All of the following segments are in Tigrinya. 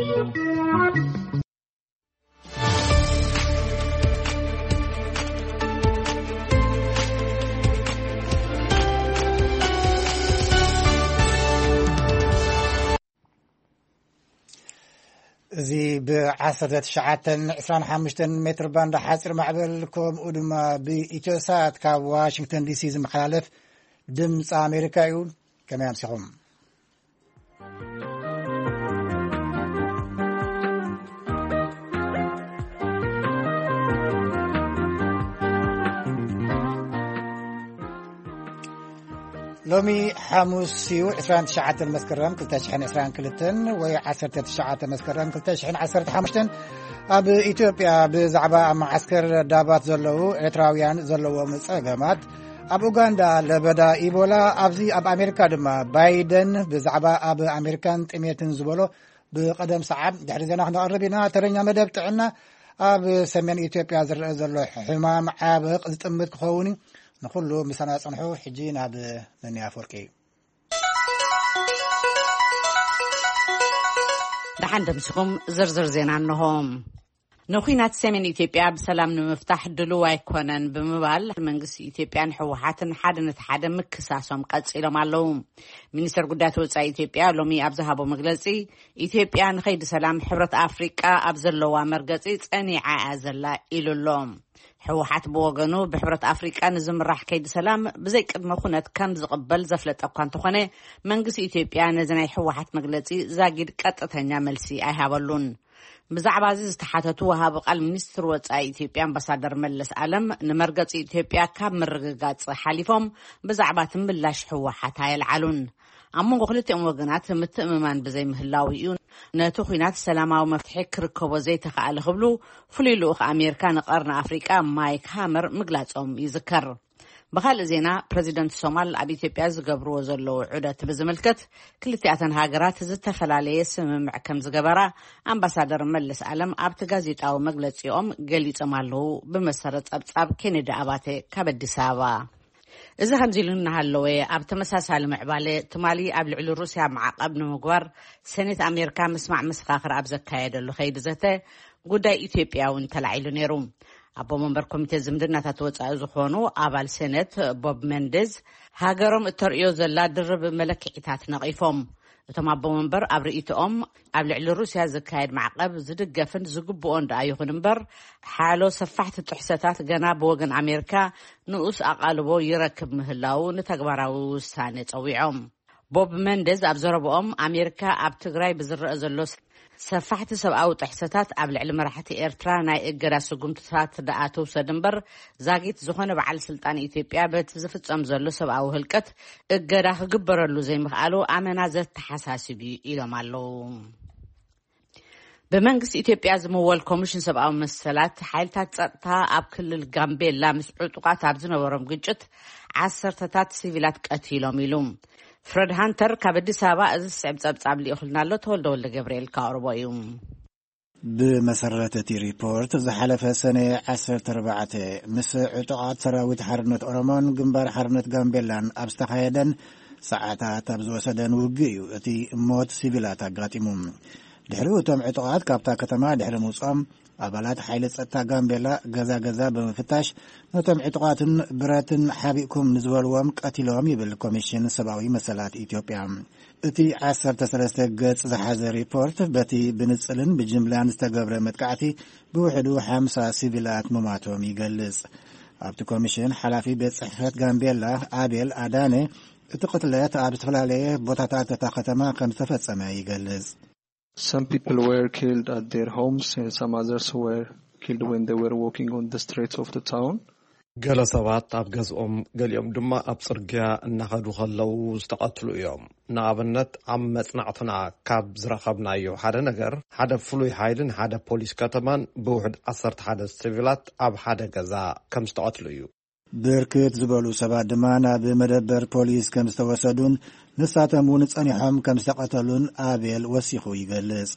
እዚ ብ19 25 ሜትር ባንድ ሓፂር ማዕበል፣ ከምኡ ድማ ብኢትዮሳት ካብ ዋሽንግተን ዲሲ ዝመሓላለፍ ድምፂ ኣሜሪካ እዩ። ከመይ ኣምሲኹም? ሎሚ ሓሙስ እዩ፣ ዕስራን ትሽዓተን መስከረም ክልተ ሽሕን ዕስራን ክልተን ወይ ዓሰርተ ትሽዓተ መስከረም ክልተ ሽሕን ዓሰርተ ሓሙሽተን። ኣብ ኢትዮጵያ ብዛዕባ ኣብ መዓስከር ዳባት ዘለዉ ኤርትራውያን ዘለዎም ጸገማት፣ ኣብ ኡጋንዳ ለበዳ ኢቦላ፣ ኣብዚ ኣብ ኣሜሪካ ድማ ባይደን ብዛዕባ ኣብ ኣሜሪካን ጥሜትን ዝበሎ ብቐደም ሰዓብ ድሕሪ ዜና ክነቕርብ ኢና። ተረኛ መደብ ጥዕና፣ ኣብ ሰሜን ኢትዮጵያ ዝረአ ዘሎ ሕማም ዓበቕ ዝጥምት ክኸውን እዩ። ንኹሉ ምሳና ጽንሑ። ሕጂ ናብ ነኒ ኣፈወርቂ። ደሓን ደምሲኹም። ዝርዝር ዜና እንሆ። ንኹናት ሰሜን ኢትዮጵያ ብሰላም ንምፍታሕ ድሉው ኣይኮነን ብምባል መንግስቲ ኢትዮጵያን ህወሓትን ሓደ ነቲ ሓደ ምክሳሶም ቀጺሎም ኣለዉ። ሚኒስተር ጉዳያት ወጻኢ ኢትዮጵያ ሎሚ ኣብ ዝሃቦ መግለጺ፣ ኢትዮጵያ ንኸይዲ ሰላም ሕብረት ኣፍሪቃ ኣብ ዘለዋ መርገጺ ጸኒዓ እያ ዘላ ኢሉ ኣሎ። ህወሓት ብወገኑ ብሕብረት ኣፍሪቃ ንዝምራሕ ከይዲ ሰላም ብዘይ ቅድመ ኩነት ከም ዝቕበል ዘፍለጠ እኳ እንተኾነ፣ መንግስቲ ኢትዮጵያ ነዚ ናይ ህወሓት መግለጺ ዛጊድ ቀጥተኛ መልሲ ኣይሃበሉን። ብዛዕባ እዚ ዝተሓተቱ ወሃቢ ቃል ሚኒስትር ወጻኢ ኢትዮጵያ ኣምባሳደር መለስ ኣለም፣ ንመርገጺ ኢትዮጵያ ካብ ምርግጋጽ ሓሊፎም ብዛዕባ እቲ ምላሽ ህወሓት ኣየልዓሉን። ኣብ መንጎ ክልቲኦም ወገናት ምትእምማን ብዘይምህላው እዩ ነቲ ኹናት ሰላማዊ መፍትሒ ክርከቦ ዘይተኻእለ ክብሉ ፍሉይ ልኡኽ ኣሜሪካ ንቀርኒ ኣፍሪቃ ማይክ ሃመር ምግላጾም ይዝከር። ብኻልእ ዜና፣ ፕረዚደንት ሶማል ኣብ ኢትዮጵያ ዝገብርዎ ዘለዉ ዑደት ብዝምልከት፣ ክልቲኣተን ሃገራት ዝተፈላለየ ስምምዕ ከም ዝገበራ ኣምባሳደር መለስ ኣለም ኣብቲ ጋዜጣዊ መግለጺኦም ገሊጾም ኣለዉ። ብመሰረት ጸብጻብ ኬኔዲ ኣባተ ካብ ኣዲስ ኣበባ። እዚ ከምዚ ኢሉ እናሃለወ፣ ኣብ ተመሳሳሊ ምዕባለ፣ ትማሊ ኣብ ልዕሊ ሩስያ ማዕቐብ ንምግባር ሰኔት ኣሜሪካ ምስማዕ መሰኻኽር ኣብ ዘካየደሉ ከይዲ ዘተ፣ ጉዳይ ኢትዮጵያ እውን ተላዒሉ ነይሩ። ኣቦ መንበር ኮሚቴ ዝምድናታት ወጻኢ ዝኾኑ ኣባል ሴኔት ቦብ ሜንዴዝ፣ ሃገሮም እተርእዮ ዘላ ድርብ መለክዒታት ነቒፎም። እቶም ኣቦ መንበር ኣብ ርእይቶኦም፣ ኣብ ልዕሊ ሩስያ ዝካየድ ማዕቐብ ዝድገፍን ዝግብኦን ደኣ ይኹን እምበር፣ ሓሎ ሰፋሕቲ ጥሕሰታት ገና ብወገን ኣሜሪካ ንኡስ ኣቓልቦ ይረክብ ምህላዉ ንተግባራዊ ውሳኔ ጸዊዖም። ቦብ ሜንዴዝ ኣብ ዘረብኦም፣ ኣሜሪካ ኣብ ትግራይ ብዝረአ ዘሎ ሰፋሕቲ ሰብኣዊ ጥሕሰታት ኣብ ልዕሊ መራሕቲ ኤርትራ ናይ እገዳ ስጉምትታት ደኣ ትውሰድ እምበር፣ ዛጊት ዝኾነ በዓል ስልጣን ኢትዮጵያ በቲ ዝፍጸም ዘሎ ሰብኣዊ ህልቀት እገዳ ክግበረሉ ዘይምኽኣሉ ኣመና ዘተሓሳስብ እዩ ኢሎም ኣለዉ። ብመንግስቲ ኢትዮጵያ ዝምወል ኮሚሽን ሰብኣዊ መሰላት፣ ሓይልታት ጸጥታ ኣብ ክልል ጋምቤላ ምስ ዕጡቓት ኣብ ዝነበሮም ግጭት ዓሰርተታት ሲቪላት ቀቲሎም ኢሉ። ፍረድ ሃንተር ካብ ኣዲስ ኣበባ እዚ ዝስዕብ ጸብጻብ ልኢኹልና ኣሎ። ተወልደ ወልደ ገብርኤል ከቕርቦ እዩ። ብመሰረት እቲ ሪፖርት፣ ዝሓለፈ ሰነ ዓሰርተ ኣርባዕተ ምስ ዕጡቓት ሰራዊት ሓርነት ኦሮሞን ግንባር ሓርነት ጋምቤላን ኣብ ዝተኻየደን ሰዓታት ኣብ ዝወሰደን ውግእ እዩ እቲ ሞት ሲቪላት ኣጋጢሙ። ድሕሪኡ እቶም ዕጡቓት ካብታ ከተማ ድሕሪ ምውፅኦም፣ ኣባላት ሓይሊ ጸጥታ ጋምቤላ ገዛ ገዛ ብምፍታሽ፣ ነቶም ዕጡቓትን ብረትን ሓቢእኩም ንዝበልዎም ቀቲሎም ይብል ኮሚሽን ሰብኣዊ መሰላት ኢትዮጵያ። እቲ ዓሰርተ ሰለስተ ገጽ ዝሓዘ ሪፖርት፣ በቲ ብንጽልን ብጅምላን ዝተገብረ መጥቃዕቲ ብውሕዱ ሓምሳ ሲቪላት ምማቶም ይገልጽ። ኣብቲ ኮሚሽን ሓላፊ ቤት ጽሕፈት ጋምቤላ ኣቤል ኣዳነ፣ እቲ ቅትለት ኣብ ዝተፈላለየ ቦታታት እታ ከተማ ከም ዝተፈጸመ ይገልጽ። Some people were killed at their homes and some others were killed when they were walking on the streets of the town. ገለ ሰባት ኣብ ገዝኦም፣ ገሊኦም ድማ ኣብ ጽርግያ እናኸዱ ከለዉ ዝተቐትሉ እዮም። ንኣብነት፣ ኣብ መጽናዕትና ካብ ዝረኸብናዮ ሓደ ነገር፣ ሓደ ፍሉይ ሓይልን ሓደ ፖሊስ ከተማን ብውሕድ ዓሰርተ ሓደ ሲቪላት ኣብ ሓደ ገዛ ከም ዝተቐትሉ እዩ። ብርክት ዝበሉ ሰባት ድማ ናብ መደበር ፖሊስ ከም ዝተወሰዱን ንሳቶም እውን ጸኒሖም ከም ዝተቐተሉን ኣቤል ወሲኹ ይገልጽ።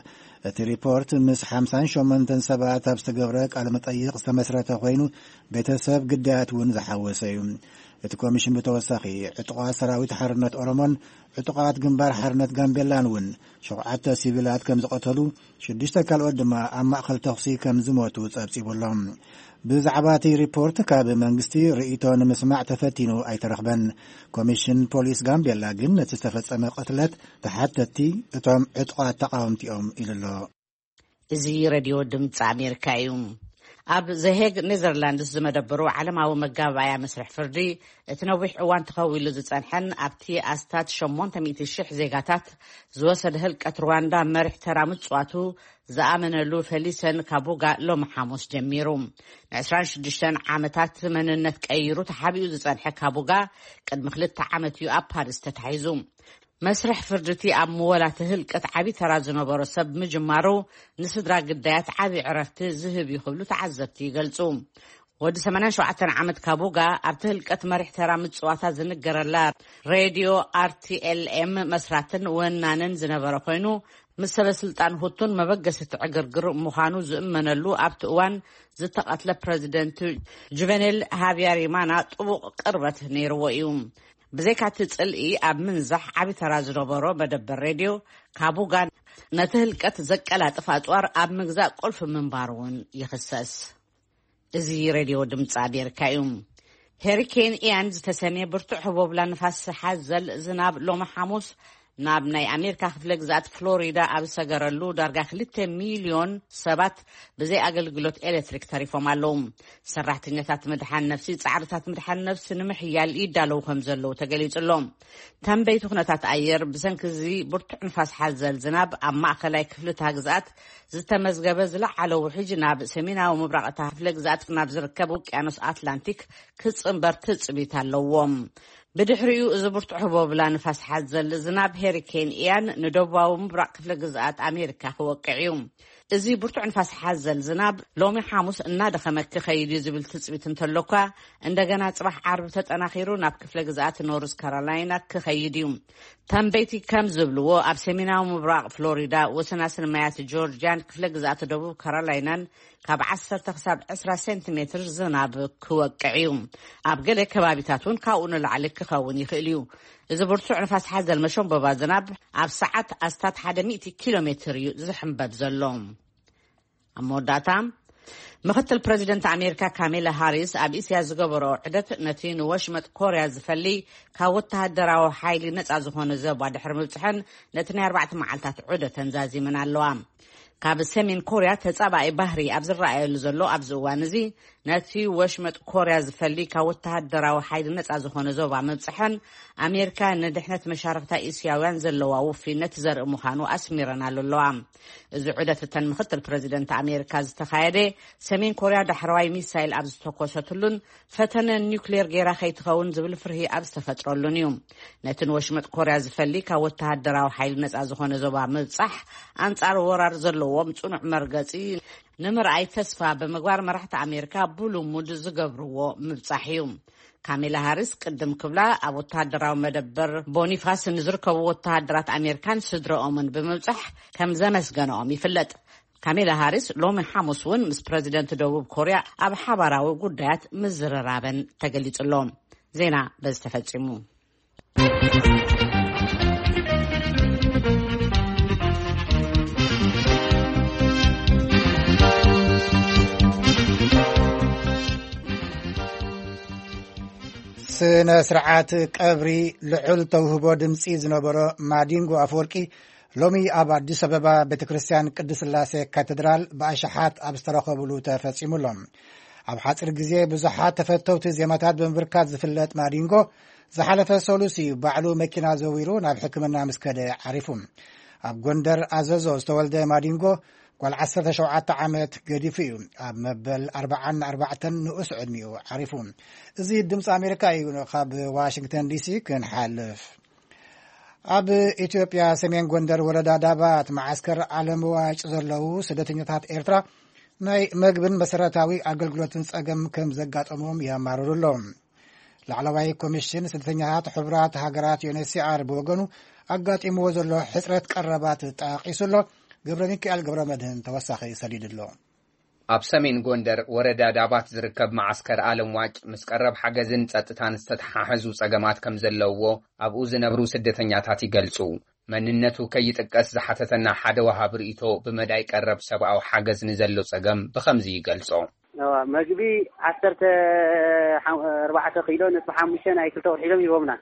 እቲ ሪፖርት ምስ ሓምሳን ሸሞንተን ሰባት ኣብ ዝተገብረ ቃለ መጠይቕ ዝተመስረተ ኮይኑ፣ ቤተሰብ ግዳያት እውን ዝሓወሰ እዩ። እቲ ኮሚሽን ብተወሳኺ ዕጡቓት ሰራዊት ሓርነት ኦሮሞን ዕጡቓት ግንባር ሓርነት ጋምቤላን እውን ሸውዓተ ሲቪላት ከም ዝቐተሉ፣ ሽዱሽተ ካልኦት ድማ ኣብ ማእከል ተኹሲ ከም ዝሞቱ ጸብጺቡ ኣሎ። ብዛዕባ እቲ ሪፖርት ካብ መንግስቲ ርእይቶ ንምስማዕ ተፈቲኑ ኣይተረኽበን። ኮሚሽን ፖሊስ ጋምቤላ ግን ነቲ ዝተፈጸመ ቅትለት ተሓተትቲ እቶም ዕጡቓት ተቓወምቲ እዮም ኢሉ ኣሎ። እዚ ሬድዮ ድምፂ ኣሜሪካ እዩ። ኣብ ዘሄግ ኔዘርላንድስ ዝመደበሩ ዓለማዊ መጋባእያ መስርሕ ፍርዲ፣ እቲ ነዊሕ እዋን ተኸዊሉ ዝጸንሐን ኣብቲ ኣስታት ሸሞንተ ሚእቲ ሽሕ ዜጋታት ዝወሰደ ህልቀት ሩዋንዳ መሪሕ ተራ ምጽዋቱ ዝኣመነሉ ፌሊሰን ካቡጋ ሎሚ ሓሙስ ጀሚሩ። ን ዕስራን ሽዱሽተን ዓመታት መንነት ቀይሩ ተሓቢኡ ዝጸንሐ ካቡጋ፣ ቅድሚ ክልተ ዓመት እዩ ኣብ ፓሪስ ተታሒዙ። መስርሕ ፍርድቲ ኣብ ምወላቲ ህልቀት ዓቢ ተራ ዝነበሮ ሰብ ምጅማሩ ንስድራ ግዳያት ዓቢ ዕረፍቲ ዝህብ እዩ ክብሉ ተዓዘብቲ ይገልጹ። ወዲ ሰማንያን ሸውዓተን ዓመት ካቡጋ ኣብቲ ህልቀት መሪሕ ተራ ምጽዋታ ዝንገረላ ሬድዮ ኣርቲኤልኤም መስራትን ወናንን ዝነበረ ኮይኑ፣ ምስ ሰበ ስልጣን ሁቱን መበገሲ ትዕግርግር ምዃኑ ዝእመነሉ ኣብቲ እዋን ዝተቐትለ ፕረዚደንት ጁቨኔል ሃቢያሪማና ጥቡቕ ቅርበት ነይርዎ እዩ። ብዘይካቲ ጽልኢ ኣብ ምንዛሕ ዓቢ ተራ ዝነበሮ መደበር ሬድዮ፣ ካቡጋ ነቲ ህልቀት ዘቀላጥፍ ኣጽዋር ኣብ ምግዛእ ቁልፊ ምንባሩ እውን ይኽሰስ። እዚ ሬድዮ ድምፂ ኣሜሪካ እዩ። ሄሪኬን ኢያን ዝተሰምየ ብርቱዕ ህቦብላ ንፋስ ሓዘል ዝናብ ሎሚ ሓሙስ ናብ ናይ ኣሜሪካ ክፍለ ግዛኣት ፍሎሪዳ ኣብ ዝሰገረሉ፣ ዳርጋ ክልተ ሚልዮን ሰባት ብዘይ ኣገልግሎት ኤሌክትሪክ ተሪፎም ኣለዉ። ሰራሕተኛታት ምድሓን ነፍሲ ጻዕርታት ምድሓን ነፍሲ ንምሕያል ይዳለዉ ከም ዘለዉ ተገሊጹ ኣሎ። ተንበይቲ ኩነታት ኣየር፣ ብሰንኪ እዚ ብርቱዕ ንፋስ ሓዘል ዝናብ ኣብ ማእከላይ ክፍሊ እታ ግዝኣት ዝተመዝገበ ዝለዓለ ውሕጅ ናብ ሰሜናዊ ምብራቕ እታ ክፍለ ግዝኣት ናብ ዝርከብ ውቅያኖስ ኣትላንቲክ ክጽንበር ትጽቢት ኣለዎም። ብድሕሪኡ እዚ ብርቱዕ ህቦብላ ንፋስ ሓዘል ዝናብ ሄሪኬን ኢያን ንደቡባዊ ምብራቕ ክፍለ ግዝኣት ኣሜሪካ ክወቅዕ እዩ። እዚ ብርቱዕ ንፋስ ሓዘል ዝናብ ሎሚ ሓሙስ እናደኸመ ክኸይድ እዩ ዝብል ትጽቢት እንተሎ እኳ፣ እንደገና ጽባሕ ዓርቢ ተጠናኺሩ ናብ ክፍለ ግዝኣት ኖርዝ ካሮላይና ክኸይድ እዩ። ተንበይቲ ከም ዝብልዎ፣ ኣብ ሰሜናዊ ምብራቕ ፍሎሪዳ፣ ወሰናስን ማያት ጆርጅያን ክፍለ ግዝኣት ደቡብ ካሮላይናን ካብ ዓሰርተ ክሳብ ዕስራ ሴንቲሜትር ዝናብ ክወቅዕ እዩ። ኣብ ገለ ከባቢታት እውን ካብኡ ንላዕሊ ክኸውን ይኽእል እዩ። እዚ ብርቱዕ ንፋስ ሓዘል መሸንበባ ዝናብ ኣብ ሰዓት ኣስታት ሓደ ሚእቲ ኪሎ ሜትር እዩ ዝሕንበብ ዘሎ። ኣብ መወዳእታ፣ ምኽትል ፕረዚደንት ኣሜሪካ ካሜላ ሃሪስ ኣብ እስያ ዝገበሮ ዑደት፣ ነቲ ንወሽመጥ ኮርያ ዝፈሊ ካብ ወተሃደራዊ ሓይሊ ነጻ ዝኾነ ዞባ ድሕሪ ምብጽሐን፣ ነቲ ናይ ኣርባዕተ መዓልታት ዑደተን ዛዚመን ኣለዋ። ካብ ሰሜን ኮርያ ተጻባኢ ባህሪ ኣብ ዝረኣየሉ ዘሎ ኣብዚ እዋን እዚ፣ ነቲ ወሽመጥ ኮርያ ዝፈሊ ካብ ወተሃደራዊ ሓይሊ ነጻ ዝኾነ ዞባ ምብጽሐን፣ ኣሜሪካ ንድሕነት መሻርኽታ እስያውያን ዘለዋ ውፍይነት ዘርኢ ምዃኑ ኣስሚረናሉ ኣለዋ። እዚ ዑደት እተን ምኽትል ፕረዚደንት ኣሜሪካ ዝተኻየደ፣ ሰሜን ኮርያ ዳሕረዋይ ሚሳይል ኣብ ዝተኮሰትሉን ፈተነ ኒውክሌር ገይራ ከይትኸውን ዝብል ፍርሂ ኣብ ዝተፈጥረሉን እዩ። ነቲ ንወሽመጥ ኮርያ ዝፈሊ ካብ ወተሃደራዊ ሓይሊ ነጻ ዝኾነ ዞባ ምብጻሕ፣ ኣንጻር ወራር ዘለዎም ጽኑዕ መርገጺ ንምርኣይ ተስፋ ብምግባር፣ መራሕቲ ኣሜሪካ ብልሙድ ዝገብርዎ ምብጻሕ እዩ። ካሜላ ሃሪስ ቅድም ክብላ ኣብ ወተሃደራዊ መደበር ቦኒፋስ ንዝርከቡ ወተሃደራት ኣሜሪካን ስድረኦምን ብምብጻሕ ከም ዘመስገነኦም ይፍለጥ። ካሜላ ሃሪስ ሎሚ ሓሙስ እውን ምስ ፕረዚደንት ደቡብ ኮርያ ኣብ ሓባራዊ ጉዳያት ምዝርራበን ተገሊጹ ኣሎ። ዜና በዚ ተፈጺሙ። ስነ ስርዓት ቀብሪ ልዑል ተውህቦ ድምፂ ዝነበሮ ማዲንጎ ኣፈወርቂ ሎሚ ኣብ ኣዲስ ኣበባ ቤተ ክርስቲያን ቅድስት ስላሴ ካቴድራል ብኣሽሓት ኣብ ዝተረኸብሉ ተፈጺሙ ኣሎ። ኣብ ሓጺር ግዜ ብዙሓት ተፈተውቲ ዜማታት ብምብርካት ዝፍለጥ ማዲንጎ፣ ዝሓለፈ ሰሉስ እዩ ባዕሉ መኪና ዘዊሩ ናብ ሕክምና ምስ ከደ ዓሪፉ። ኣብ ጎንደር ኣዘዞ ዝተወልደ ማዲንጎ፣ ጓል ዓሰርተ ሸውዓተ ዓመት ገዲፉ እዩ ኣብ መበል ኣርባዓን ኣርባዕተን ንኡስ ዕድሚኡ ዓሪፉ። እዚ ድምፂ ኣሜሪካ እዩ። ካብ ዋሽንግተን ዲሲ ክንሓልፍ፣ ኣብ ኢትዮጵያ ሰሜን ጎንደር ወረዳ ዳባት መዓስከር ዓለም ዋጭ ዘለዉ ስደተኛታት ኤርትራ ናይ መግብን መሰረታዊ ኣገልግሎትን ጸገም ከም ዘጋጠሞም የማርሩ ኣለዉ። ላዕለዋይ ኮሚሽን ስደተኛታት ሕቡራት ሃገራት፣ ዩ ኤን ኤች ሲ ኣር፣ ብወገኑ ኣጋጢምዎ ዘሎ ሕጽረት ቀረባት ጠቒሱ ኣሎ። ገብረ ሚካኤል ገብረ መድህን ተወሳኺ ሰዲዱ ኣሎ። ኣብ ሰሜን ጎንደር ወረዳ ዳባት ዝርከብ መዓስከር ኣለም ዋጭ ምስ ቀረብ ሓገዝን ጸጥታን ዝተተሓሓዙ ጸገማት ከም ዘለውዎ ኣብኡ ዝነብሩ ስደተኛታት ይገልጹ። መንነቱ ከይጥቀስ ዝሓተተና ሓደ ወሃብ ርእይቶ፣ ብመዳይ ቀረብ ሰብኣዊ ሓገዝ ንዘሎ ጸገም ብኸምዚ ይገልጾ። እዋ፣ መግቢ ዓሰርተ ሓ-፣ ኣርባዕተ ኪሎ ነጥቢ ሓሙሽተ ናይ ክልተ ወርሒ ኢሎም ሂቦምና።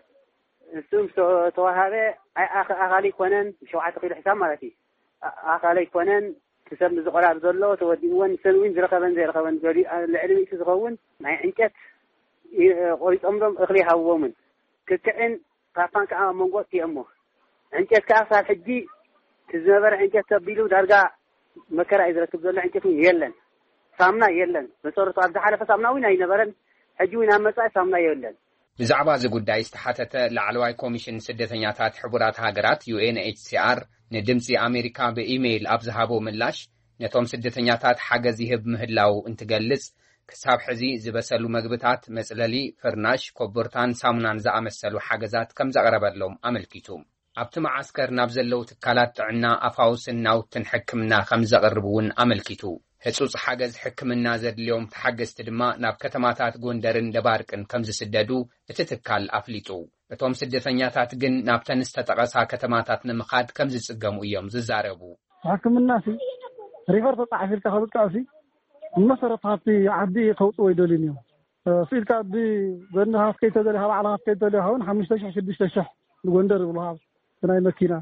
እሱ ምስ ተዋሃበ፣ ኣይ-፣ ኣኽ-፣ ኣኻሊ ኣይኮነን፣ ሸውዓተ ኪሎ ሕሳብ ማለት እዩ። ኣ-፣ ኣኻሊ ኣይኮነን፣ እቲ ሰብ ንዝቆላብ ዘሎ ተወዲእወን፣ ንሰን እውን ዝረኸበን ዘይረኸበን ገሊኡ፣ ኣ-፣ ልዕሊ ሚእቲ ዝኸውን ናይ ዕንጨት ይ-፣ ቆሪጾምሎም እኽሊ ይሃብዎምን። ክክዕን ፓፓን ከዓ ኣብ መንጎ እቲኦሞ። ዕንጨት ከዓ ክሳብ ሕጂ እቲ ዝነበረ ዕንጨት ተቢሉ ዳርጋ መከራ እዩ ዝረክብ ዘሎ። ዕንጨት እውን የለን፣ ሳምና የለን። መሰረቱ ኣብ ዝሓለፈ ሳምና እውን ኣይነበረን፣ ሕጂ እውን ኣብ መጻኢ ሳምና የለን። ብዛዕባ እዚ ጉዳይ ዝተሓተተ ላዕለዋይ ኮሚሽን ስደተኛታት ሕቡራት ሃገራት፣ ዩ ኤን ኤች ሲ ኣር፣ ንድምጺ ኣሜሪካ ብኢሜይል ኣብ ዝሃቦ ምላሽ፣ ነቶም ስደተኛታት ሓገዝ ይህብ ምህላው እንትገልጽ፣ ክሳብ ሕዚ ዝበሰሉ መግብታት፣ መጽለሊ፣ ፍርናሽ፣ ኮቦርታን ሳሙናን ዝኣመሰሉ ሓገዛት ከም ዘቕረበሎም ኣመልኪቱ። ኣብቲ መዓስከር ናብ ዘለዉ ትካላት ጥዕና ኣፋውስን ናውትን ሕክምና ከም ዘቕርብ እውን ኣመልኪቱ። ህጹጽ ሓገዝ ሕክምና ዘድልዮም ተሓገዝቲ ድማ ናብ ከተማታት ጎንደርን ደባርቅን ከም ዝስደዱ እቲ ትካል ኣፍሊጡ። እቶም ስደተኛታት ግን ናብተን ዝተጠቐሳ ከተማታት ንምኻድ ከም ዝጽገሙ እዮም ዝዛረቡ። ሕክምና ሲ ሪፈር ተጻሒፊልካ ከብቃ ሲ ብመሰረት ሃብቲ ዓዲ ከውጽዎ ይደልዩን እዮም። ስኢልካ ብጎኒ ሃፍከይ ተደልዩ፣ ካብ ዓላ ሃፍከይ ተደልዩ፣ ሃውን ሓሙሽተ ሽሕ ሽዱሽተ ሽሕ ንጎንደር ይብሉ፣ ሃብ ናይ መኪና።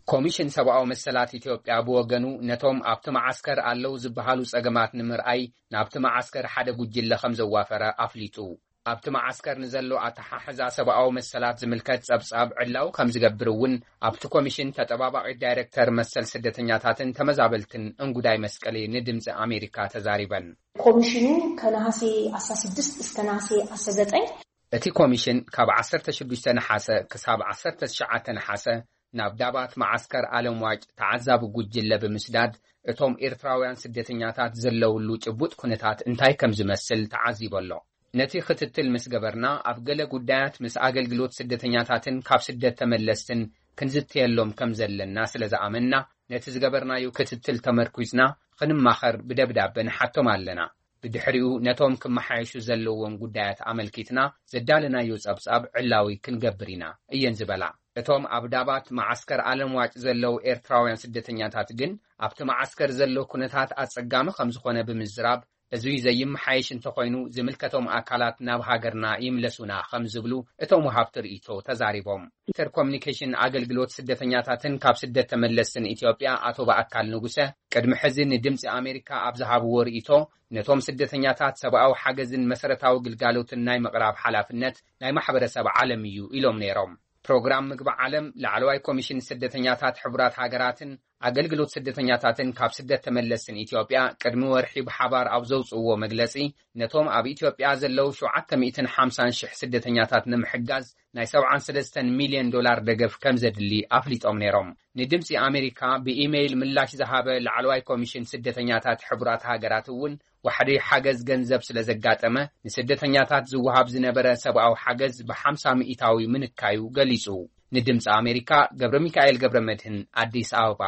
ኮሚሽን ሰብኣዊ መሰላት ኢትዮጵያ ብወገኑ፣ ነቶም ኣብቲ መዓስከር ኣለዉ ዝበሃሉ ጸገማት ንምርኣይ ናብቲ መዓስከር ሓደ ጉጅለ ከም ዘዋፈረ ኣፍሊጡ። ኣብቲ መዓስከር ንዘሎ ኣተሓሕዛ ሰብኣዊ መሰላት ዝምልከት ጸብጻብ ዕላዊ ከም ዝገብር እውን ኣብቲ ኮሚሽን ተጠባባቒ ዳይረክተር መሰል ስደተኛታትን ተመዛበልትን እንጉዳይ መስቀሊ ንድምጺ ኣሜሪካ ተዛሪበን። ኮሚሽኑ ከነሃሴ ኣስራ ስድስት እስከ ነሃሴ ኣስራ ዘጠኝ። እቲ ኮሚሽን ካብ ዓሰርተ ሽዱሽተ ነሓሰ ክሳብ ዓሰርተ ትሽዓተ ነሓሰ ናብ ዳባት መዓስከር ኣለም ዋጭ ተዓዛቢ ጉጅለ ብምስዳድ፣ እቶም ኤርትራውያን ስደተኛታት ዘለውሉ ጭቡጥ ኩነታት እንታይ ከም ዝመስል ተዓዚቡ ኣሎ። ነቲ ክትትል ምስ ገበርና፣ ኣብ ገለ ጉዳያት ምስ ኣገልግሎት ስደተኛታትን ካብ ስደት ተመለስትን ክንዝትየሎም ከም ዘለና ስለ ዝኣመንና፣ ነቲ ዝገበርናዮ ክትትል ተመርኲዝና ክንማኸር ብደብዳበ ንሓቶም ኣለና። ብድሕሪኡ ነቶም ክመሓየሹ ዘለዎም ጉዳያት ኣመልኪትና ዘዳለናዮ ጸብጻብ ዕላዊ ክንገብር ኢና እየን ዝበላ። እቶም ኣብ ዳባት መዓስከር ኣለም ዋጭ ዘለዉ ኤርትራውያን ስደተኛታት ግን ኣብቲ መዓስከር ዘሎ ኩነታት ኣጸጋሚ ከም ዝኾነ ብምዝራብ፣ እዚ ዘይመሓየሽ እንተኾይኑ ዝምልከቶም ኣካላት ናብ ሃገርና ይምለሱና ከም ዝብሉ እቶም ወሃብቲ ርእይቶ ተዛሪቦም። ሚኒስተር ኮሚኒኬሽን ኣገልግሎት ስደተኛታትን ካብ ስደት ተመለስትን ኢትዮጵያ ኣቶ በኣካል ንጉሰ ቅድሚ ሕዚ ንድምፂ ኣሜሪካ ኣብ ዝሃብዎ ርእይቶ፣ ነቶም ስደተኛታት ሰብኣዊ ሓገዝን መሰረታዊ ግልጋሎትን ናይ ምቕራብ ሓላፍነት ናይ ማሕበረሰብ ዓለም እዩ ኢሎም ነይሮም። ፕሮግራም ምግቢ ዓለም፣ ላዕለዋይ ኮሚሽን ስደተኛታት ሕቡራት ሃገራትን ኣገልግሎት ስደተኛታትን ካብ ስደት ተመለስትን ኢትዮጵያ ቅድሚ ወርሒ ብሓባር ኣብ ዘውፅእዎ መግለፂ፣ ነቶም ኣብ ኢትዮጵያ ዘለዉ ሸውዓተ ሚእትን ሓምሳን ሽሕ ስደተኛታት ንምሕጋዝ ናይ ሰብዓን ሰለስተን ሚልዮን ዶላር ደገፍ ከም ዘድሊ ኣፍሊጦም ነይሮም። ንድምፂ ኣሜሪካ ብኢሜይል ምላሽ ዝሃበ ላዕለዋይ ኮሚሽን ስደተኛታት ሕቡራት ሃገራት እውን ዋሕዲ ሓገዝ ገንዘብ ስለ ዘጋጠመ፣ ንስደተኛታት ዝወሃብ ዝነበረ ሰብኣዊ ሓገዝ ብሓምሳ ሚእታዊ ምንካዩ ገሊጹ። ንድምፂ ኣሜሪካ ገብረ ሚካኤል ገብረ መድህን፣ ኣዲስ ኣበባ።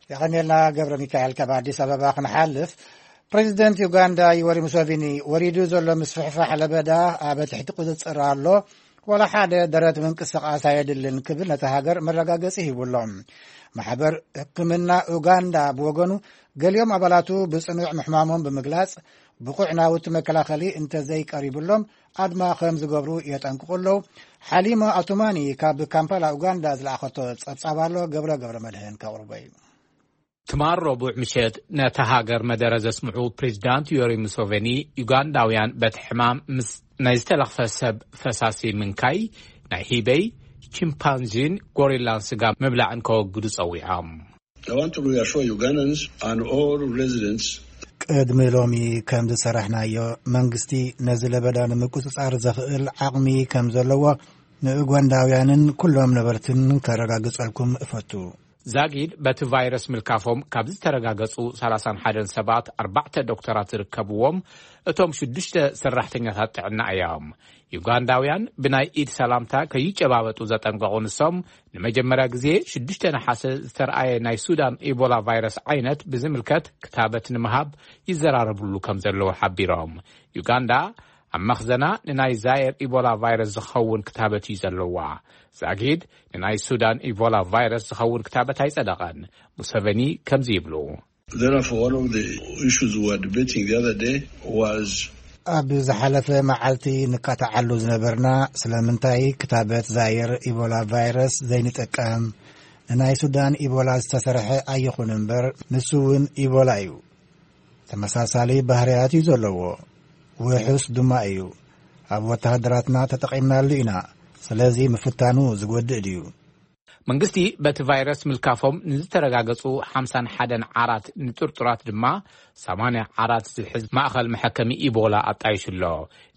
የቐንየልና ገብረ ሚካኤል። ካብ ኣዲስ ኣበባ ክንሓልፍ፣ ፕሬዚደንት ዩጋንዳ ዩወሪ ሙሴቪኒ፣ ወሪዱ ዘሎ ምስፍሕፋሕ ለበዳ ኣብ ትሕቲ ቁጽጽር ኣሎ፣ ዋላ ሓደ ደረት ምንቅስቓስ ኣየድልን ክብል ነታ ሃገር መረጋገጺ ሂቡ ኣሎ። ማሕበር ሕክምና ኡጋንዳ ብወገኑ፣ ገሊኦም ኣባላቱ ብጽኑዕ ምሕማሞም ብምግላጽ፣ ብቑዕ ናውቲ መከላኸሊ እንተዘይቀሪቡሎም ኣድማ ከም ዝገብሩ የጠንቅቑ ኣለዉ። ሓሊማ ኣቱማኒ ካብ ካምፓላ ኡጋንዳ ዝለኣኸቶ ጸብጻብ ኣሎ፣ ገብረ ገብረ መድህን ከቕርቦ እዩ። ትማል ረቡዕ ምሸት ነታ ሃገር መደረ ዘስምዑ ፕሬዚዳንት ዮሪ ሙሴቬኒ፣ ዩጋንዳውያን በቲ ሕማም ምስ ናይ ዝተለኽፈ ሰብ ፈሳሲ ምንካይ፣ ናይ ሂበይ፣ ቺምፓንዚን ጎሪላን ስጋ ምብላዕን ከወግዱ ጸዊዖም። I want to reassure Ugandans and all residents ቅድሚ ሎሚ ከም ዝሰራሕናዮ፣ መንግስቲ ነዚ ለበዳ ንምቁጽጻር ዘኽእል ዓቕሚ ከም ዘለዎ ንኡጋንዳውያንን ኩሎም ነበርትን ከረጋግጸልኩም እፈቱ። ዛጊድ በቲ ቫይረስ ምልካፎም ካብ ዝተረጋገጹ ሰላሳን ሓደን ሰባት ኣርባዕተ ዶክተራት ዝርከብዎም እቶም ሽዱሽተ ሰራሕተኛታት ጥዕና እዮም። ዩጋንዳውያን ብናይ ኢድ ሰላምታ ከይጨባበጡ ዘጠንቀቑ ንሶም፣ ንመጀመርያ ግዜ ሽዱሽተ ነሓሰ ዝተረኣየ ናይ ሱዳን ኢቦላ ቫይረስ ዓይነት ብዝምልከት ክታበት ንምሃብ ይዘራረብሉ ከም ዘለዉ ሓቢሮም። ዩጋንዳ ኣብ መኽዘና ንናይ ዛየር ኢቦላ ቫይረስ ዝኸውን ክታበት እዩ ዘለዋ። ዛጊድ ንናይ ሱዳን ኢቦላ ቫይረስ ዝኸውን ክታበት ኣይጸደቐን። ሙሰቨኒ ከምዚ ይብሉ። Therefore, one of the issues we were debating the other day was ኣብ ዝሓለፈ መዓልቲ ንካታዓሉ ዝነበርና ስለምንታይ ክታበት ዛየር ኢቦላ ቫይረስ ዘይንጥቀም፣ ንናይ ሱዳን ኢቦላ ዝተሰርሐ ኣይኹን እምበር፣ ንሱ እውን ኢቦላ እዩ። ተመሳሳሊ ባህርያት እዩ ዘለዎ። ውሑስ ድማ እዩ። ኣብ ወተሃደራትና ተጠቒምናሉ ኢና። ስለዚ ምፍታኑ ዝጎድእ ድዩ? መንግስቲ በቲ ቫይረስ ምልካፎም ንዝተረጋገጹ ሓምሳን ሓደን ዓራት ንጥርጡራት ድማ ሰማንያ ዓራት ዝሕዝ ማእኸል መሐከሚ ኢቦላ ኣጣይሹ ኣሎ።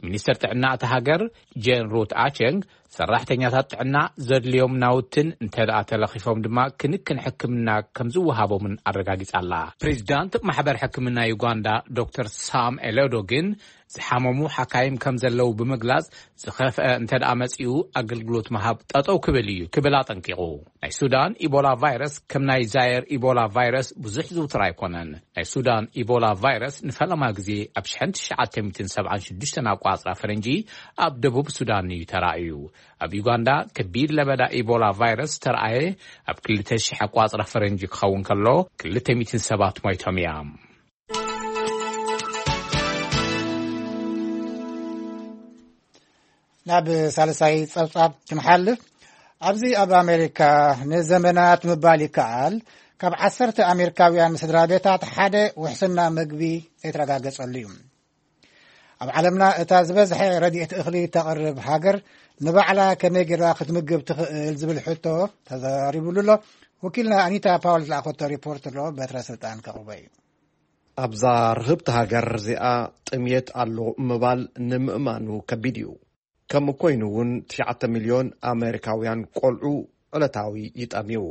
ሚኒስተር ጥዕና እታ ሃገር ጄን ሩት ኣቸንግ፣ ሰራሕተኛታት ጥዕና ዘድልዮም ናውትን እንተ ደኣ ተለኺፎም ድማ ክንክን ሕክምና ከም ዝወሃቦምን ኣረጋጊጻ ኣላ። ፕሬዚዳንት ማሕበር ሕክምና ዩጋንዳ ዶክተር ሳም ኤሎዶ ግን ዝሓመሙ ሓካይም ከም ዘለዉ ብምግላጽ፣ ዝኸፍአ እንተ ደኣ መጺኡ ኣገልግሎት ምሃብ ጠጠው ክብል እዩ ክብል ኣጠንቂቑ። ናይ ሱዳን ኢቦላ ቫይረስ ከም ናይ ዛየር ኢቦላ ቫይረስ ብዙሕ ዝውትር ኣይኮነን። ናይ ሱዳን ኢቦላ ቫይረስ ንፈለማ ግዜ ኣብ ሽሕን ትሽዓተ ሚእትን ሰብዓን ሽዱሽተን ኣቋጽራ ፈረንጂ ኣብ ደቡብ ሱዳን እዩ ተራእዩ። ኣብ ዩጋንዳ ከቢድ ለበዳ ኢቦላ ቫይረስ ተራእየ ኣብ ክልተ ሽሕ ኣቋጽራ ፈረንጂ ክኸውን ከሎ፣ ክልተ ሚእትን ሰባት ሞይቶም እዮም። ናብ ሳልሳይ ጸብጻብ ክንሓልፍ፣ ኣብዚ ኣብ ኣሜሪካ ንዘመናት ምባል ይከኣል፣ ካብ ዓሰርተ ኣሜሪካውያን ስድራ ቤታት ሓደ ውሕስና መግቢ ዘይተረጋገጸሉ እዩ። ኣብ ዓለምና እታ ዝበዝሐ ረድኤት እኽሊ ተቕርብ ሃገር ንባዕላ ከመይ ጌራ ክትምግብ ትኽእል ዝብል ሕቶ ተዛሪቡሉ ኣሎ። ወኪልና ኣኒታ ፓውል ዝለኣኸቶ ሪፖርት ኣሎ፣ በትረ ስልጣን ከቕርቦ እዩ። ኣብዛ ርህብቲ ሃገር እዚኣ ጥምየት ኣሎ ምባል ንምእማኑ ከቢድ እዩ። ከምኡ ኮይኑ እውን ትሽዓተ ሚልዮን ኣሜሪካውያን ቆልዑ ዕለታዊ ይጠምዩ።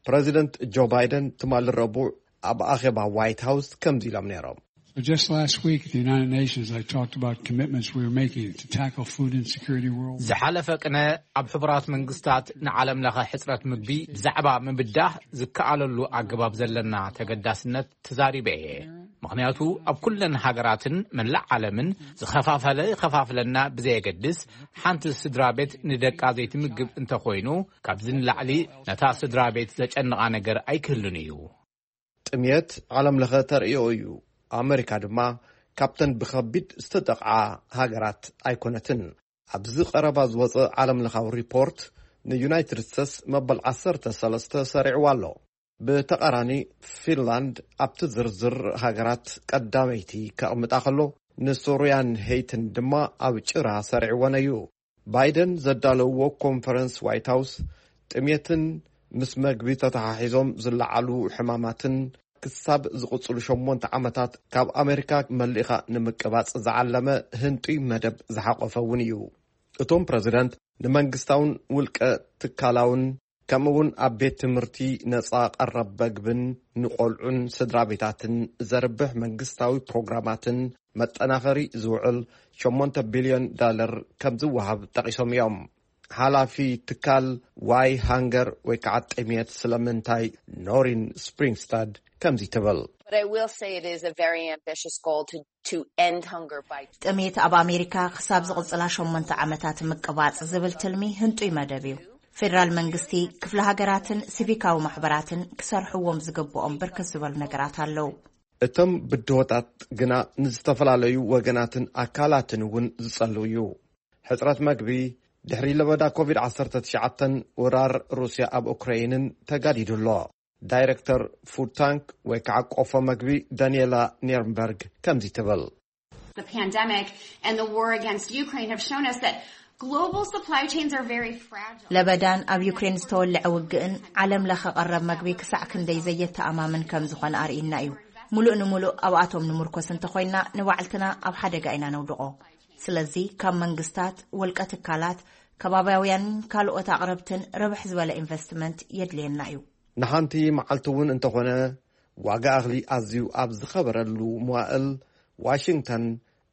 ፕረዚደንት ጆ ባይደን ትማሊ ረቡዕ ኣብ ኣኼባ ዋይት ሃውስ ከምዚ ኢሎም ነይሮም። Just last week, at the United Nations, I talked about commitments we were making to tackle food insecurity worldwide. ዝሓለፈ ቅነ ኣብ ሕቡራት መንግስታት ንዓለም ለኸ ሕጽረት ምግቢ ብዛዕባ ምብዳህ ዝከኣለሉ ኣገባብ ዘለና ተገዳስነት ተዛሪበ እየ። ምኽንያቱ ኣብ ኩለን ሃገራትን መላእ ዓለምን ዝኸፋፈለ ይኸፋፍለና ብዘየገድስ፣ ሓንቲ ስድራ ቤት ንደቃ ዘይትምግብ እንተኾይኑ፣ ካብዚ ንላዕሊ ነታ ስድራ ቤት ዘጨንቓ ነገር ኣይክህልን እዩ። ጥምየት ዓለም ለኸ ተርእዮ እዩ። ኣመሪካ ድማ ካብተን ብኸቢድ ዝተጠቕዓ ሃገራት ኣይኮነትን። ኣብዚ ቀረባ ዝወጸ ዓለም ለኻዊ ሪፖርት ንዩናይትድ ስቴትስ መበል ዓሰርተ ሰለስተ ሰሪዕዋ ኣሎ። ብተቓራኒ፣ ፊንላንድ ኣብቲ ዝርዝር ሃገራት ቀዳመይቲ ከቕምጣ ከሎ፣ ንሶርያን ሄይትን ድማ ኣብ ጭራ ሰሪዕወን እዩ። ባይደን ዘዳለውዎ ኮንፈረንስ ዋይት ሃውስ፣ ጥሜትን ምስ መግቢ ተተሓሒዞም ዝለዓሉ ሕማማትን ክሳብ ዝቕጽሉ ሸሞንተ ዓመታት ካብ ኣሜሪካ መሊእኻ ንምቅባጽ ዝዓለመ ህንጡይ መደብ ዝሓቖፈ እውን እዩ። እቶም ፕረዚደንት ንመንግስታውን ውልቀ ትካላውን ከምኡ እውን ኣብ ቤት ትምህርቲ ነጻ ቀረብ መግብን ንቆልዑን ስድራ ቤታትን ዘርብሕ መንግስታዊ ፕሮግራማትን መጠናኸሪ ዝውዕል ሸሞንተ ቢልዮን ዳለር ከም ዝወሃብ ጠቒሶም እዮም። ሓላፊ ትካል ዋይ ሃንገር ወይ ከዓ ጥሜት ስለምንታይ ኖሪን ስፕሪንግስታድ ከምዚ ትብል። But I will say it is a very ambitious goal to, to end hunger by ጥሜት ኣብ ኣሜሪካ ክሳብ ዝቕጽላ ሸሞንተ ዓመታት ምቅባጽ ዝብል ትልሚ ህንጡይ መደብ እዩ። ፌደራል መንግስቲ፣ ክፍለ ሃገራትን ሲቪካዊ ማሕበራትን ክሰርሕዎም ዝግብኦም ብርክት ዝበሉ ነገራት ኣለዉ። እቶም ብድሆታት ግና ንዝተፈላለዩ ወገናትን ኣካላትን እውን ዝጸሉ እዩ። ሕጽረት መግቢ፣ ድሕሪ ለበዳ ኮቪድ ዓሰርተ ትሽዓተን ወራር ሩስያ ኣብ ኡክራይንን ተጋዲዱ ኣሎ። ዳይረክተር ፉድ ታንክ ወይ ከዓ ቆፎ መግቢ ዳንኤላ ኒርንበርግ ከምዚ ትብል። The pandemic and the war against Ukraine have shown us that global supply chains are very fragile. ለበዳን ኣብ ዩክሬን ዝተወልዐ ውግእን ዓለም ለኸ ቀረብ መግቢ ክሳዕ ክንደይ ዘየተኣማምን ከም ዝኾነ ኣርእይና እዩ። ሙሉእ ንሙሉእ ኣብኣቶም ንምርኮስ እንተኾይንና ንባዕልትና ኣብ ሓደጋ ኢና ነውድቖ። ስለዚ ካብ መንግስታት፣ ወልቀ ትካላት፣ ከባብያውያን ካልኦት ኣቕረብትን ርብሕ ዝበለ ኢንቨስትመንት የድልየና እዩ። ንሓንቲ መዓልቲ እውን እንተኾነ ዋጋ እኽሊ ኣዝዩ ኣብ ዝኸበረሉ መዋእል ዋሽንግተን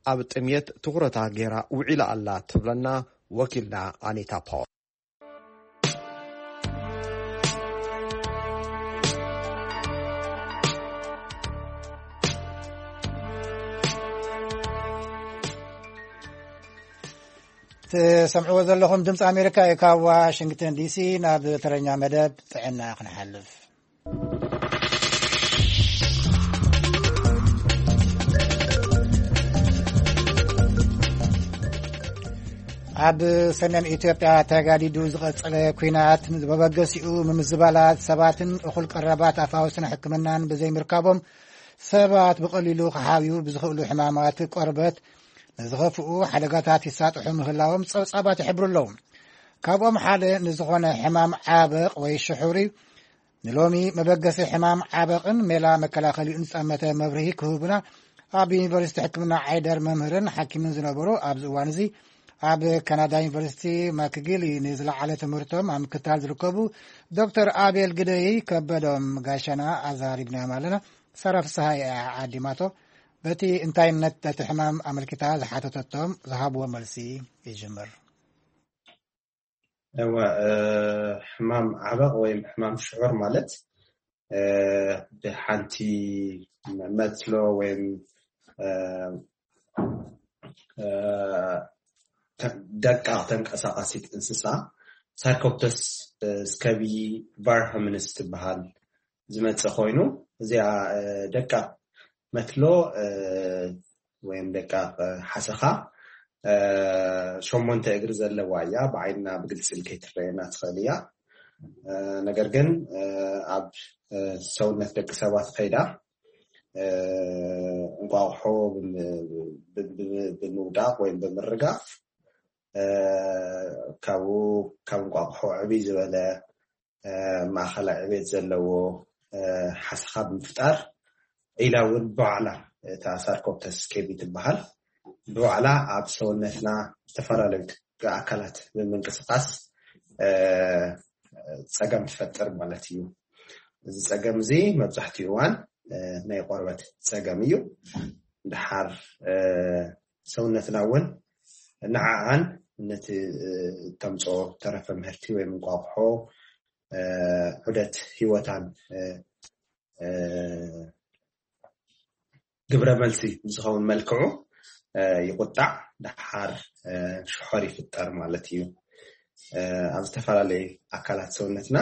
ኣብ ጥምየት ትኹረታ ገይራ ውዒላ ኣላ ትብለና ወኪልና ኣኒታ ፓወር። ትሰምዕዎ ዘለኹም ድምፂ ኣሜሪካ እዩ። ካብ ዋሽንግተን ዲሲ ናብ ተረኛ መደብ ጥዕና ክንሓልፍ። ኣብ ሰሜን ኢትዮጵያ ተጋዲዱ ዝቐጸለ ኲናት ንመበገሲኡ ምምዝባላት ሰባትን እኹል ቀረባት ኣፋውስን ሕክምናን ብዘይምርካቦም ሰባት ብቐሊሉ ክሓብዩ ብዝኽእሉ ሕማማት ቆርበት ንዝኸፍኡ ሓደጋታት ይሳጥሑ ምህላዎም ጸብጻባት ይሕብሩ ኣለዉ። ካብኦም ሓደ ንዝኾነ ሕማም ዓበቕ ወይ ሽሑር እዩ። ንሎሚ መበገሲ ሕማም ዓበቕን ሜላ መከላኸሊኡን ዝጠመተ መብርሂ ክህቡና ኣብ ዩኒቨርሲቲ ሕክምና ዓይደር መምህርን ሓኪምን ዝነበሩ ኣብዚ እዋን እዚ ኣብ ካናዳ ዩኒቨርሲቲ ማክጊሊ ንዝለዓለ ትምህርቶም ኣብ ምክታል ዝርከቡ ዶክተር ኣቤል ግደይ ከበዶም ጋሻና ኣዛሪብናዮም ኣለና። ሳራ ፍስሃ እያ ዓዲማቶ። በቲ እንታይነት እቲ ሕማም ኣመልኪታ ዝሓተተቶም ዝሃብዎ መልሲ ይጅምር። እወ፣ ሕማም ዓበቕ ወይም ሕማም ሽዑር ማለት ብሓንቲ መትሎ ወይም ደቃቕ ተንቀሳቓሲት እንስሳ ሳርኮፕተስ ስከቢ ቫርሃምንስ ትበሃል ዝመጽእ ኮይኑ፣ እዚኣ ደቃቕ መትሎ ወይም ደቃቕ ሓሰኻ ሸሞንተ እግሪ ዘለዋ እያ። ብዓይንና ብግልፂ ከይትረየና ትኽእል እያ። ነገር ግን ኣብ ሰውነት ደቂ ሰባት ከይዳ እንቋቑሖ ብምውዳቕ ወይም ብምርጋፍ ካብኡ ካብ እንቋቑሖ ዕብይ ዝበለ ማእኸላይ ዕቤት ዘለዎ ሓሰኻ ብምፍጣር ኢላ እውን ብባዕላ እታ ሳርኮፕተስ ስኬቢ ትበሃል ብባዕላ ኣብ ሰውነትና ዝተፈላለዩ ኣካላት ብምንቅስቃስ ፀገም ትፈጥር ማለት እዩ። እዚ ፀገም እዚ መብዛሕትኡ እዋን ናይ ቆርበት ፀገም እዩ። ድሓር ሰውነትና እውን ንዓኣን ነቲ እተምፅኦ ተረፈ ምህርቲ ወይ እንቋቑሖ ዑደት ህይወታን ግብረ መልሲ ብዝኸውን መልክዑ ይቁጣዕ፣ ድሓር ሽሖር ይፍጠር ማለት እዩ። ኣብ ዝተፈላለዩ ኣካላት ሰውነትና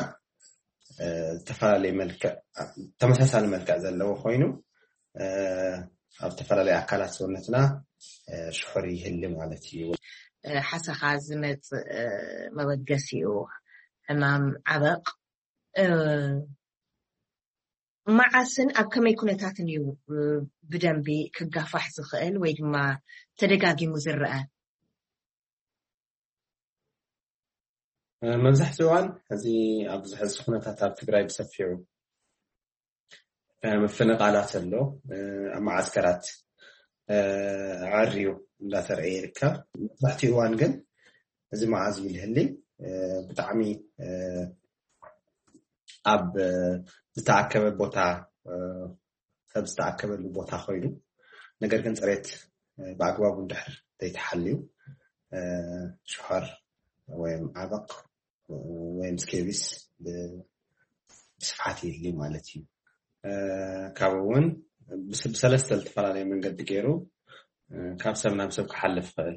ዝተፈላለየ መልክዕ ተመሳሳሊ መልክዕ ዘለዎ ኮይኑ ኣብ ዝተፈላለየ ኣካላት ሰውነትና ሽሑር ይህሊ ማለት እዩ። ሓሰኻ ዝመፅእ መበገሲኡ ሕማም ዓበቕ መዓስን ኣብ ከመይ ኩነታትን እዩ ብደንቢ ክጋፋሕ ዝኽእል ወይ ድማ ተደጋጊሙ ዝረአ? መብዛሕትኡ እዋን እዚ ኣብዚ ሕዚ ኩነታት ኣብ ትግራይ ብሰፊሑ ምፍንቓላት ኣሎ። ኣብ መዓስከራት ኣዐርዩ እንዳተረእየ ይርከብ። መብዛሕትኡ እዋን ግን እዚ መዓዝ እዩ ልህሊ ብጣዕሚ ኣብ ዝተኣከበ ቦታ ሰብ ዝተኣከበሉ ቦታ ኮይኑ ነገር ግን ፅሬት ብኣግባቡ እንድሕር ዘይተሓልዩ ሽሖር ወይም ዓበቕ ወይም ስኬቢስ ብስፍሓት ይህሊ ማለት እዩ። ካብኡ እውን ብሰለስተ ዝተፈላለዩ መንገዲ ገይሩ ካብ ሰብ ናብ ሰብ ክሓልፍ ይኽእል።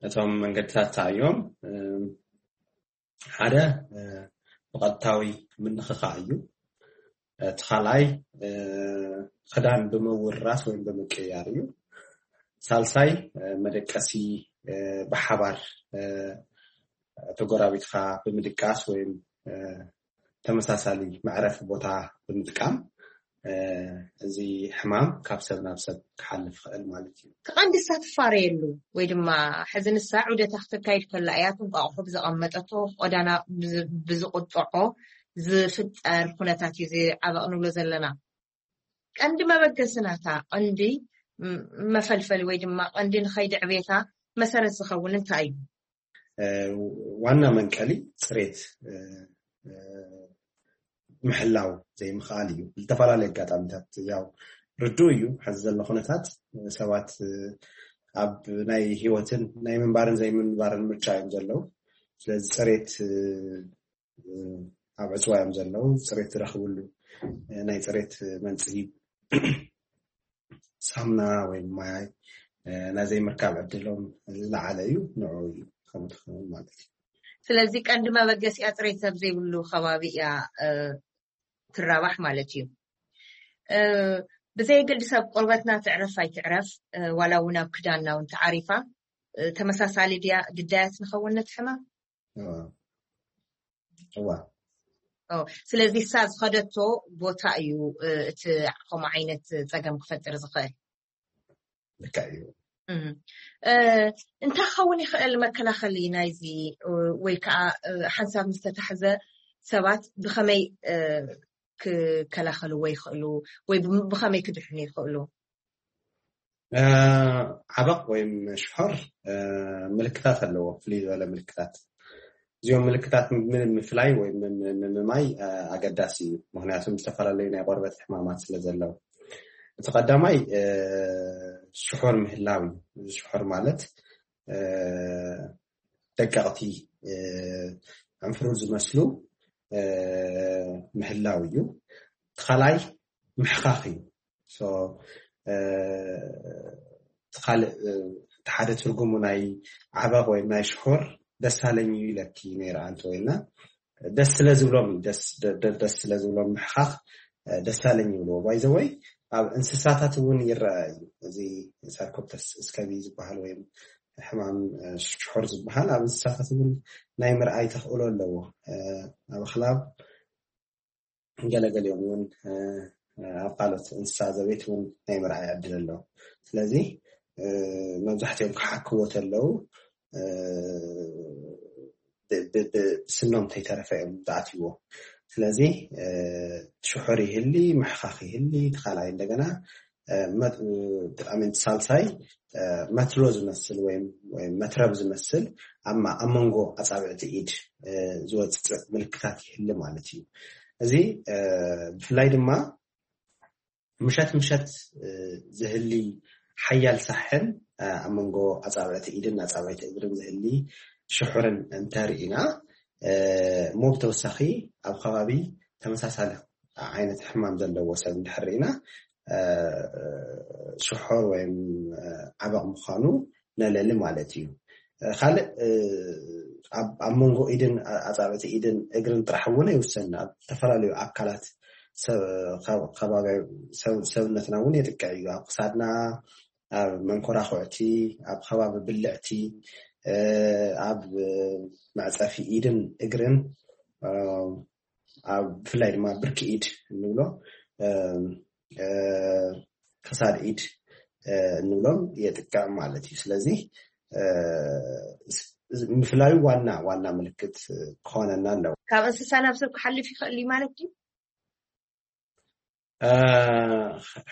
እቶም መንገድታት እዮም ሓደ ብቐጥታዊ ምንኽኻእ እዩ። እቲ ካልኣይ ክዳን ብምውርራስ ወይም ብምቅያር እዩ። ሳልሳይ መደቀሲ ብሓባር ተጎራቢትካ ብምድቃስ ወይም ተመሳሳሊ መዕረፊ ቦታ ብምጥቃም እዚ ሕማም ካብ ሰብ ናብ ሰብ ክሓልፍ ይኽእል ማለት እዩ። እቲ ቀንዲ ንሳ ትፋረየሉ ወይ ድማ ሕዚ ንሳ ዑደታ ክተካይድ ከላ እያ እቲ እንቋቑሖ ብዘቐመጠቶ ቆዳና ብዝቑጥዖ ዝፍጠር ኩነታት እዩ እዚ ዓበቕ ንብሎ ዘለና። ቀንዲ መበገሲ ናታ ቀንዲ መፈልፈሊ ወይ ድማ ቀንዲ ንኸይዲ ዕቤታ መሰረት ዝኸውን እንታይ እዩ? ዋና መንቀሊ ፅሬት ምሕላው ዘይምኽኣል እዩ። ዝተፈላለዩ ኣጋጣሚታት ያው ርዱ እዩ። ሕዚ ዘሎ ኩነታት ሰባት ኣብ ናይ ህይወትን ናይ ምንባርን ዘይምንባርን ምርጫ እዮም ዘለዉ። ስለዚ ፅሬት ኣብ ዕፅዋ እዮም ዘለዉ። ፅሬት ዝረኽብሉ ናይ ፅሬት መንፅሂ ሳምና ወይ ማይ ናይ ዘይምርካብ ዕድሎም ዝለዓለ እዩ። ንዑ እዩ ከምኡ ትኸውን ማለት እዩ። ስለዚ ቀንዲ መበገሲኣ ፅሬት ሰብ ዘይብሉ ከባቢ እያ ትራባሕ ማለት እዩ። ብዘየገድስ ኣብ ቆርበትና ትዕረፍ ኣይትዕረፍ ዋላ እውን ኣብ ክዳንና እውን ተዓሪፋ ተመሳሳሊ ድያ ግዳያት ንኸውን ነቲ ሕማም? እዋ ስለዚ እሳ ዝኸደቶ ቦታ እዩ እቲ ከምኡ ዓይነት ፀገም ክፈጥር ዝኽእል። ልክዕ እዩ። እንታይ ክኸውን ይኽእል መከላኸሊ ናይዚ ወይ ከዓ ሓንሳብ ምስ ተታሕዘ ሰባት ብኸመይ ክከላኸልዎ ይኽእሉ ወይ ብኸመይ ክድሕኑ ይኽእሉ? ዓበቕ ወይም ሽሖር ምልክታት ኣለዎ፣ ፍልይ ዝበለ ምልክታት። እዚኦም ምልክታት ምፍላይ ወይ ምምማይ ኣገዳሲ እዩ፣ ምክንያቱም ዝተፈላለዩ ናይ ቆርበት ሕማማት ስለ ዘለዉ። እቲ ቀዳማይ ሽሖር ምህላው እዩ። ሽሖር ማለት ደቀቕቲ ዕንፍሩር ዝመስሉ ምህላው እዩ። እቲ ካልኣይ ምሕኻኽ እዩ። እቲ ካልእ እቲ ሓደ ትርጉሙ ናይ ዓበቕ ወይ ናይ ሽሑር ደስ ኣለኝ እዩ ኢለኪ ነይረ ኣንቲ ወይና ደስ ስለ ዝብሎም ደስ ስለ ዝብሎም ምሕኻኽ ደስ ኣለኝ ይብልዎ። ባይዘወይ ኣብ እንስሳታት እውን ይረአ እዩ። እዚ ሳርኮፕተስ እስከቢ ዝበሃል ወይ ሕማም ሽሑር ዝበሃል ኣብ እንስሳታት እውን ናይ ምርኣይ ተኽእሎ ኣለዎ። ኣብ ኣኽላብ ገለገሊኦም እውን ኣብ ካልኦት እንስሳ ዘቤት እውን ናይ ምርኣይ ዕድል ኣለዎ። ስለዚ መብዛሕትኦም ክሓክዎ ተለዉ ብስኖም ተይተረፈ እዮም ዝኣትዎ። ስለዚ ሽሑር ይህሊ፣ ምሕኻኽ ይህሊ፣ ተኻላይ እንደገና ሳልሳይ መትሎ ዝመስል ወይም መትረብ ዝመስል ኣብ መንጎ ኣፃብዕቲ ኢድ ዝወፅእ ምልክታት ይህሊ ማለት እዩ። እዚ ብፍላይ ድማ ምሸት ምሸት ዝህሊ ሓያል ሳሕን ኣብ መንጎ ኣፃብዕቲ ኢድን ኣፃብዕቲ እግርን ዝህሊ ሽሑርን እንተርኢና እሞ ብተወሳኺ ኣብ ከባቢ ተመሳሳሊ ዓይነት ሕማም ዘለዎ ሰብ እንድሕር ርኢና ሽሖር ወይም ዓበቕ ምዃኑ ነለሊ ማለት እዩ። ካልእ ኣብ መንጎ ኢድን ኣፃብዕቲ ኢድን እግርን ጥራሕ እውን ኣይውሰን፣ ኣብ ዝተፈላለዩ ኣካላት ሰብነትና እውን የጥቅዕ እዩ። ኣብ ክሳድና፣ ኣብ መንኮራኩዕቲ፣ ኣብ ከባቢ ብልዕቲ፣ ኣብ መዕፀፊ ኢድን እግርን፣ ኣብ ብፍላይ ድማ ብርኪ ኢድ እንብሎ ክሳድ ኢድ እንብሎም የጥቅዕ ማለት እዩ። ስለዚ ምፍላዩ ዋና ዋና ምልክት ክኾነና ኣለዎ። ካብ እንስሳ ናብ ሰብ ክሓልፍ ይኽእል እዩ ማለት እዩ።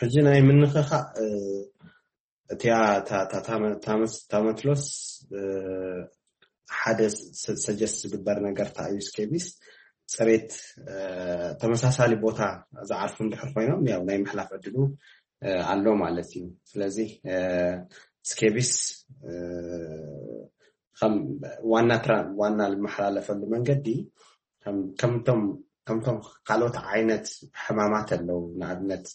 ሕጂ ናይ ምንኽኻእ እቲያ ታመትሎስ ሓደ ሰጀስት ዝግበር ነገር ታ እዩ ስኬቢስ ፅሬት ተመሳሳሊ ቦታ ዝዓርፉ እንድሕር ኮይኖም ያው ናይ ምሕላፍ ዕድሉ ኣሎ ማለት እዩ። ስለዚ ስኬቢስ ከም ዋና ዋና ዝመሓላለፈሉ መንገዲ ከምቶም ካልኦት ዓይነት ሕማማት ኣለዉ። ንኣብነት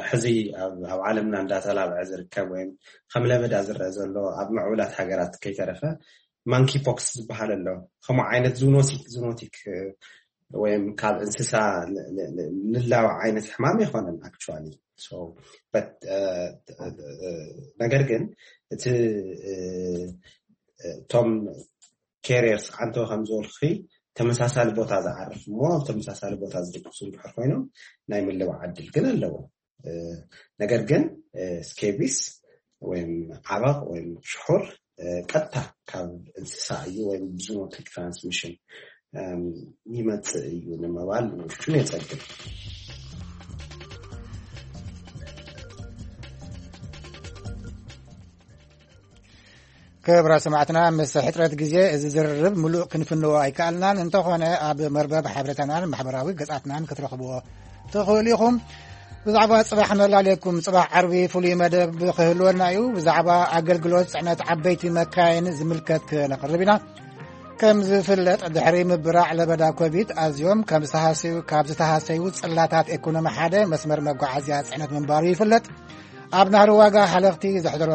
ሕዚ ኣብ ዓለምና እንዳተላብዐ ዝርከብ ወይም ከም ለበዳ ዝረአ ዘሎ ኣብ ምዕቡላት ሃገራት ከይተረፈ ማንኪ ፖክስ ዝበሃል ኣሎ። ከምኡ ዓይነት ዙኖቲክ ዙኖቲክ ወይም ካብ እንስሳ ንላው ዓይነት ሕማም ኣይኮነን actually። ነገር ግን እቲ እቶም carriers ዓንተወ ከም ዝበልኩ ተመሳሳሊ ቦታ ዝዓርፍ እሞ ኣብ ተመሳሳሊ ቦታ ዝድቅሱ እንድሕር ኮይኖም ናይ ምልባዕ ዕድል ግን ኣለዎ። ነገር ግን ስኬቢስ ወይም ዓበቕ ወይም ሽሑር ቀጥታ ካብ እንስሳ እዩ ወይም ብዝኖቲክ ትራንስሚሽን ይመፅእ እዩ ንምባል ፍጹም የፀግም። ክብራ ሰማዕትና፣ ምስ ሕጽረት ግዜ እዚ ዝርርብ ምሉእ ክንፍንዎ ኣይከኣልናን። እንተኾነ፣ ኣብ መርበብ ሓበሬታናን ማሕበራዊ ገጻትናን ክትረኽብዎ ትኽእሉ ኢኹም። ብዛዕባ ጽባሕ መላለኩም፣ ጽባሕ ዓርቢ ፍሉይ መደብ ክህልወና እዩ። ብዛዕባ ኣገልግሎት ጽዕነት ዓበይቲ መካይን ዝምልከት ክነቕርብ ኢና። ከም ዝፍለጥ፣ ድሕሪ ምብራዕ ለበዳ ኮቪድ ኣዝዮም ከም ዝተሃሰዩ፣ ካብ ዝተሃሰዩ ጽላታት ኤኮኖሚ ሓደ መስመር መጓዓዝያ ጽዕነት ምንባሩ ይፍለጥ። ኣብ ናህሪ ዋጋ ሓለኽቲ ዘሕደሮ